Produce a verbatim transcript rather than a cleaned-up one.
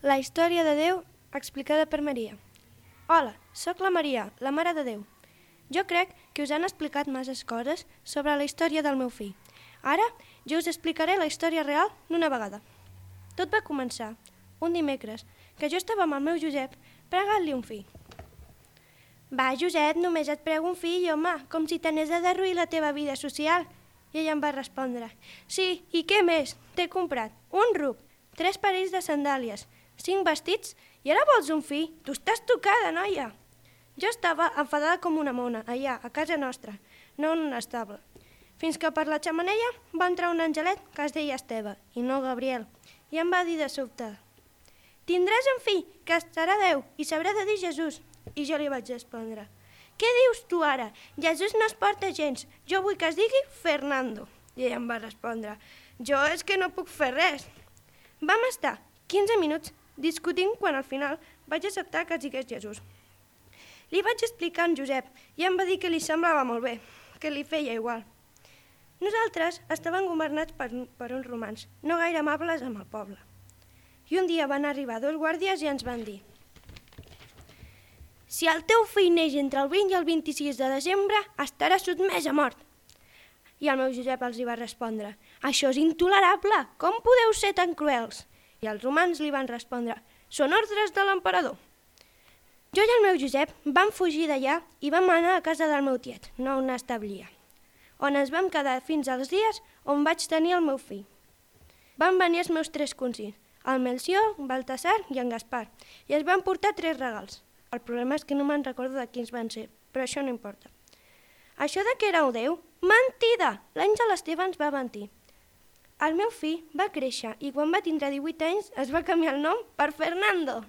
La història de Déu explicada per Maria. Hola, sóc la Maria, la Mare de Déu. Jo crec que us han explicat masses coses sobre la història del meu fill. Ara jo us explicaré la història real d'una vegada. Tot va començar un dimecres, que jo estava amb el meu Josep pregant-li un fill. Va, Josep, només et prego un fill, home, com si t'anés a derruir la teva vida social. I ell em va respondre, sí, i què més? T'he comprat un ruc, tres parells de sandàlies, cinc vestits i ara vols un fill? Tu estàs tocada, noia! Jo estava enfadada com una mona, allà, a casa nostra, no en un estable. Fins que per la xemeneia va entrar un angelet que es deia Esteve, i no Gabriel, i em va dir de sobte, tindràs un fill que estarà Déu i s'haurà de dir Jesús. I jo li vaig respondre, què dius tu ara? Jesús no es porta gens, jo vull que es digui Fernando. I ell em va respondre, jo és que no puc fer res. Vam estar quinze minuts discutint quan al final vaig acceptar que es digués Jesús. Li vaig explicar a en Josep i em va dir que li semblava molt bé, que li feia igual. Nosaltres estàvem governats per, per uns romans, no gaire amables amb el poble. I un dia van arribar dos guàrdies i ens van dir si el teu fill neix entre el vint i el vint-i-sis de desembre, estarà sotmès a mort. I el meu Josep els hi va respondre, això és intolerable, com podeu ser tan cruels? I els romans li van respondre, són ordres de l'emperador. Jo i el meu Josep vam fugir d'allà i vam anar a casa del meu tiet, no on establia, on ens vam quedar fins als dies on vaig tenir el meu fill. Van venir els meus tres cosins, el Melcior, Baltasar i en Gaspar, i es van portar tres regals. El problema és que no me'n recordo de quins van ser, però això no importa. Això de que era un déu? Mentida! L'àngel Esteve ens va mentir. El meu fill va créixer i quan va tindre divuit anys es va canviar el nom per Fernando.